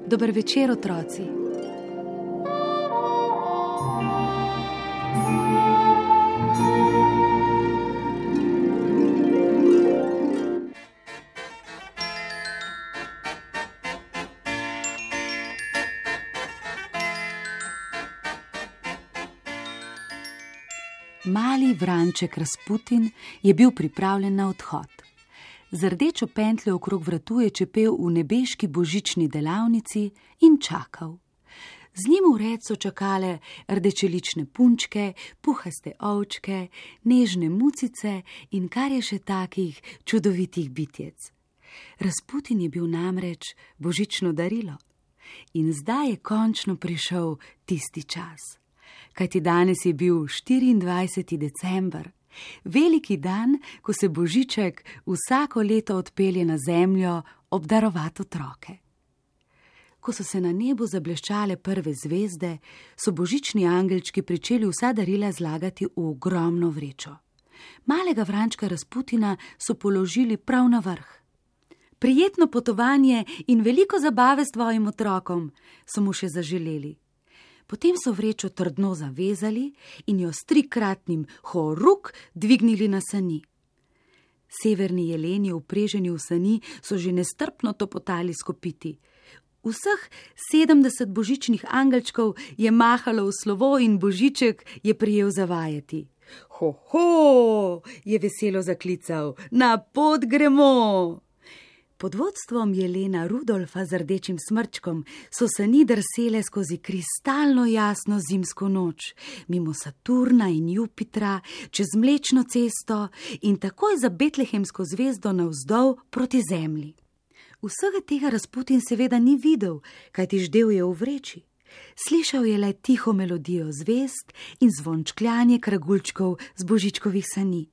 Dober večer, otroci. Mali vranček Rasputin je bil pripravljen na odhod. Z rdečo pentljo okrog vratu je čepel v nebeški božični delavnici in čakal. Z njim v red so čakale rdečelične punčke, puhaste ovčke, nežne mucice in kar je še takih čudovitih bitjec. Rasputin je bil namreč božično darilo. In zdaj je končno prišel tisti čas. Kajti danes je bil 24. december. Veliki dan, ko se Božiček vsako leto odpelje na zemljo obdarovat otroke. Ko so se na nebu zableščale prve zvezde, so božični angelčki pričeli vsa darila zlagati v ogromno vrečo. Malega vrančka Rasputina so položili prav na vrh. Prijetno potovanje in veliko zabave s tvojim otrokom, so mu še zaželeli. Potem so vrečo trdno zavezali in jo s 3-kratnim horuk dvignili na sani. Severni jeleni, vpreženi v sani, so že nestrpno topotali s kopiti. Vseh 70 božičnih angelčkov je mahalo v slovo in Božiček je prijel zavajati. Ho, ho, je veselo zaklical, na pot gremo! Pod vodstvom jelena Rudolfa z rdečim smrčkom so sani drsele skozi kristalno jasno zimsko noč, mimo Saturna in Jupitra, čez Mlečno cesto in takoj za betlehemsko zvezdo navzdol proti zemlji. Vsega tega Rasputin seveda ni videl, kajti ždel je v vreči. Slišal je le tiho melodijo zvezd in zvončkljanje kragulčkov z božičkovih sani.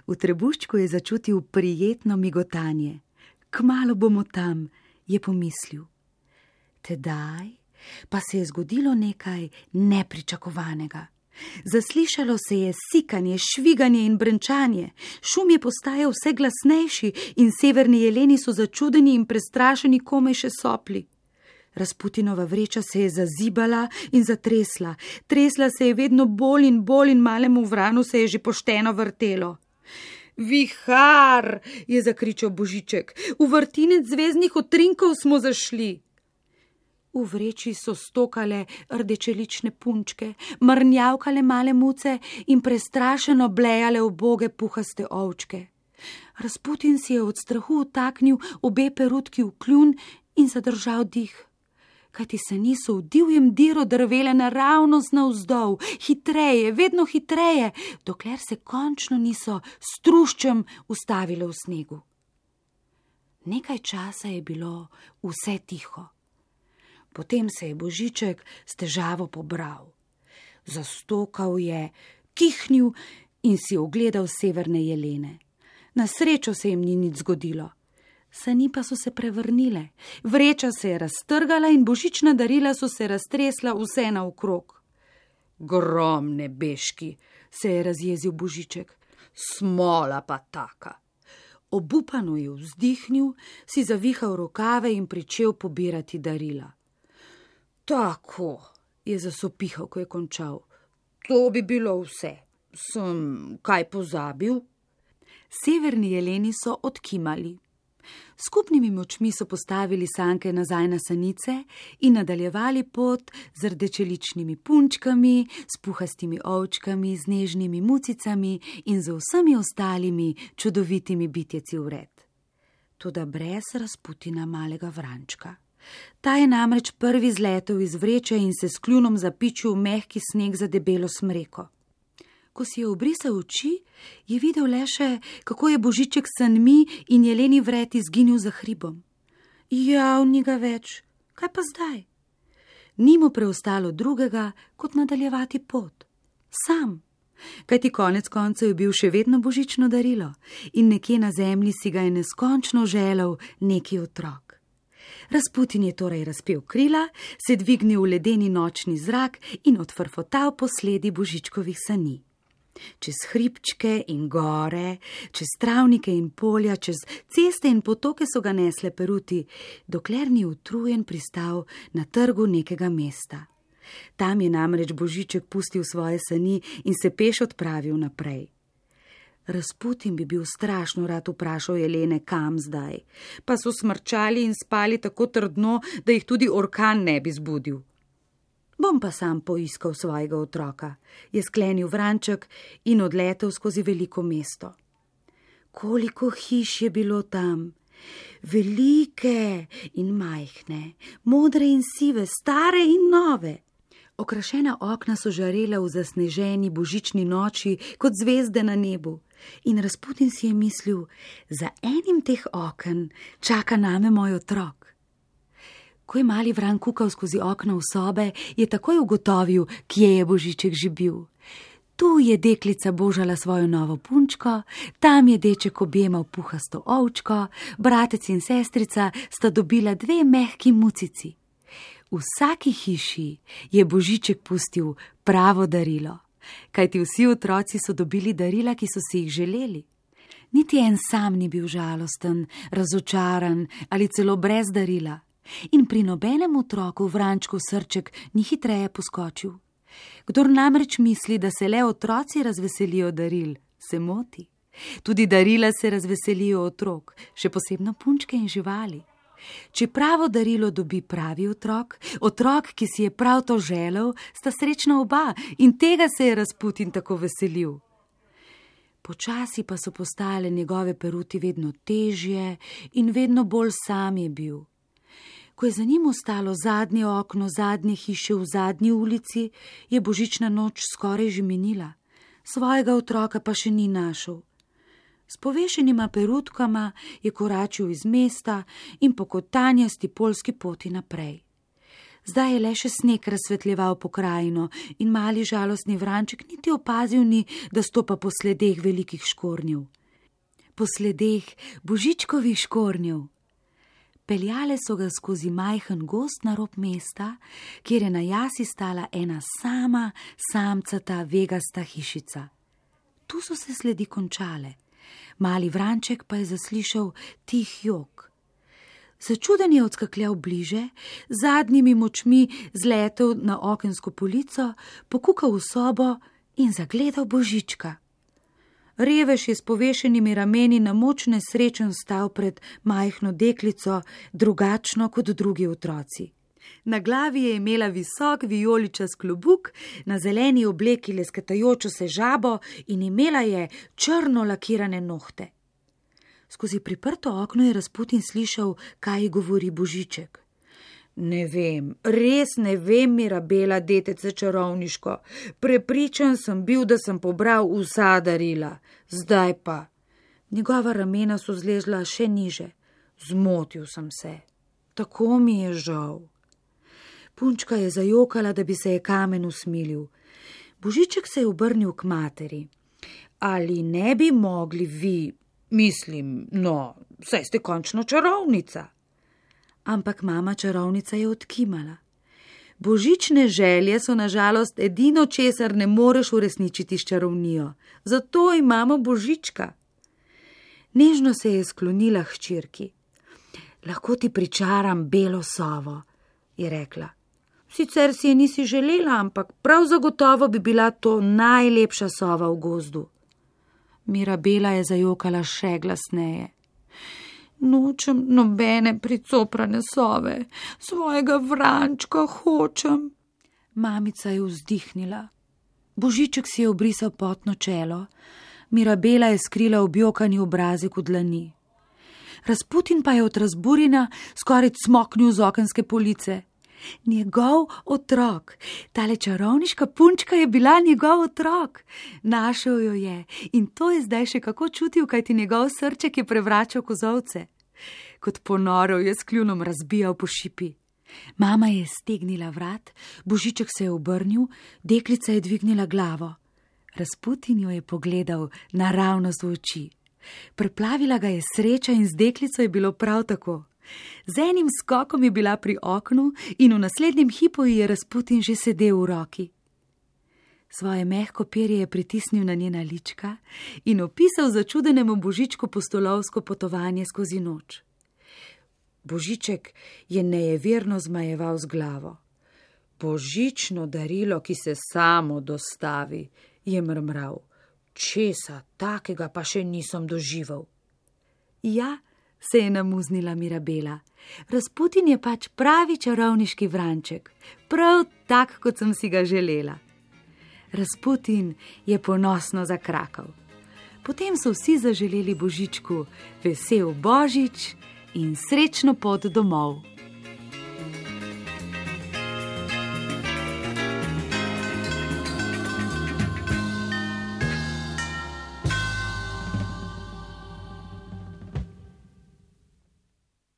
V trebuščku je začutil prijetno migotanje. Kmalu bomo tam, je pomislil. Tedaj pa se je zgodilo nekaj nepričakovanega. Zaslišalo se je sikanje, šviganje in brenčanje. Šum je postajal vse glasnejši in severni jeleni so začudeni in prestrašeni komaj še sopli. Rasputinova vreča se je zazibala in zatresla. Tresla se je vedno bolj in malemu vranu se je že pošteno vrtelo. Vihar, je zakričal Božiček, v vrtinec zvezdnih utrinkov smo zašli. V vreči so stokale rdečelične punčke, mrnjavkale male muce in prestrašeno blejale uboge puhaste ovčke. Rasputin si je od strahu utaknil obe perutki v kljun in zadržal dih. Kajti sani so v divjem diru drvele naravnost navzdol, hitreje, vedno hitreje, dokler se končno niso s truščem ustavile v snegu. Nekaj časa je bilo vse tiho. Potem se je Božiček s težavo pobral. Zastokal je, kihnil in si ogledal severne jelene. Na srečo se jim ni nič zgodilo. Sani pa so se prevrnile, vreča se je raztrgala in božična darila so se raztresla vse naokrog. Grom nebeški, se je razjezil Božiček, smola pa taka. Obupano je vzdihnil, si zavihal rokave in pričel pobirati darila. Tako, je zasopihal, ko je končal, to bi bilo vse. Sem kaj pozabil? Severni jeleni so odkimali. Skupnimi močmi so postavili sanke nazaj na sanice in nadaljevali pot z rdečeličnimi punčkami, s puhastimi ovčkami, z nežnimi mucicami in z vsemi ostalimi čudovitimi bitjeci vred. Toda brez Rasputina malega vrančka. Ta je namreč prvi zletel iz vreče in se s kljunom zapičil v mehki sneg za debelo smreko. Ko si je obrisal oči, je videl le še, kako je Božiček s sanmi in jeleni vred izginil za hribom. Jav, ni ga več. Kaj pa zdaj? Ni mu preostalo drugega, kot nadaljevati pot. Sam. Kajti konec koncev je bil še vedno božično darilo in nekje na zemlji si ga je neskončno želel neki otrok. Rasputin je torej razpel krila, se dvignil v ledeni nočni zrak in odfrfotal po sledi božičkovih sani. Čez hribčke in gore, čez travnike in polja, čez ceste in potoke so ga nesle peruti, dokler ni utrujen pristal na trgu nekega mesta. Tam je namreč Božiček pustil svoje sani in se peš odpravil naprej. Rasputin bi bil strašno rad vprašal Jelene, kam zdaj, pa so smrčali in spali tako trdno, da jih tudi orkan ne bi zbudil. Bom pa sam poiskal svojega otroka, je sklenil vranček in odletel skozi veliko mesto. Koliko hiš je bilo tam! Velike in majhne, modre in sive, stare in nove. Okrašena okna so žarela v zasneženi božični noči kot zvezde na nebu in Rasputin si je mislil, za enim teh oken čaka name moj otrok. Ko je mali Vran kukal skozi okno v sobe, je takoj ugotovil, kje je Božiček že bil. Tu je deklica božala svojo novo punčko, tam je deček objemal puhasto ovčko, bratec in sestrica sta dobila 2 mehki mucici. V vsaki hiši je Božiček pustil pravo darilo, kajti vsi otroci so dobili darila, ki so si jih želeli. Niti en sam ni bil žalosten, razočaran ali celo brez darila. In pri nobenem otroku Vrančkov srček ni hitreje poskočil. Kdor namreč misli, da se le otroci razveselijo daril, se moti. Tudi darila se razveselijo otrok, še posebno punčke in živali. Če pravo darilo dobi pravi otrok, otrok, ki si je prav to želel, sta srečna oba in tega se je Rasputin tako veselil. Počasi pa so postale njegove peruti vedno težje in vedno bolj sam je bil. Ko je za njim ostalo zadnje okno zadnje hiše v zadnji ulici, je božična noč skoraj že minila. Svojega otroka pa še ni našel. S povešenima perutkama je koračil iz mesta in po kotanjasti poljski poti naprej. Zdaj je le še sneg razsvetljeval pokrajino in mali žalostni Vranček niti opazil ni, da stopa po sledeh velikih škornjev. Po sledeh Božičkovih škornjev. Peljale so ga skozi majhen gozd na rob mesta, kjer je na jasi stala ena sama, samcata, vegasta hišica. Tu so se sledi končale. Mali Vranček pa je zaslišal tih jok. Začuden je odskakljal bliže, zadnjimi močmi zletel na okensko polico, pokukal v sobo in zagledal Božička. Revež je s povešenimi rameni na moč nesrečen stal pred majhno deklico, drugačno kot drugi otroci. Na glavi je imela visok vijoličast klobuk, na zeleni obleki lesketajočo se žabo in imela je črno lakirane nohte. Skozi priprto okno je Rasputin slišal, kaj govori Božiček. Ne vem, res ne vem, Mirabela, detece čarovniško. Prepričan sem bil, da sem pobral vsa darila. Zdaj pa. Njegova ramena so zlezla še niže. Zmotil sem se. Tako mi je žal. Punčka je zajokala, da bi se je kamen usmilil. Božiček se je obrnil k materi. Ali ne bi mogli vi, mislim, no, saj ste končno čarovnica. Ampak mama čarovnica je odkimala. Božične želje so na žalost edino, česar ne moreš uresničiti s čarovnijo. Zato imamo Božička. Nežno se je sklonila k hčerki. Lahko ti pričaram belo sovo, je rekla. Sicer si je nisi želela, ampak prav zagotovo bi bila to najlepša sova v gozdu. Mirabela je zajokala še glasneje. Nočem nobene pricoprane sove, svojega Vrančka hočem. Mamica je vzdihnila. Božiček si je obrisal potno čelo, Mirabela je skrila objokani obrazek v dlani. Rasputin pa je od razburjenja skoraj cmoknil z okenske police. Njegov otrok, tale čarovniška punčka je bila njegov otrok. Našel jo je in to je zdaj še kako čutil, kajti njegov srček je prevračal kozovce. Kot ponorov je s kljunom razbijal po šipi. Mama je stegnila vrat, Božiček se je obrnil, deklica je dvignila glavo. Razputin jo je pogledal naravnost v oči. Preplavila ga je sreča in z deklico je bilo prav tako. Z enim skokom je bila pri oknu in v naslednjem hipu ji je Razputin že sedel v roki. Svoje mehko perje je pritisnil na njena lička in opisal začudenemu Božičku pustolovsko potovanje skozi noč. Božiček je nejeverno zmajeval z glavo. Božično darilo, ki se samo dostavi, je mrmral. Česa takega pa še nisem doživel. Ja, se je namuznila Mirabela. Razputin je pač pravi čarovniški vranček, prav tak, kot sem si ga želela. Razputin je ponosno zakrakal. Potem so vsi zaželeli Božičku vesel Božič in srečno pot domov.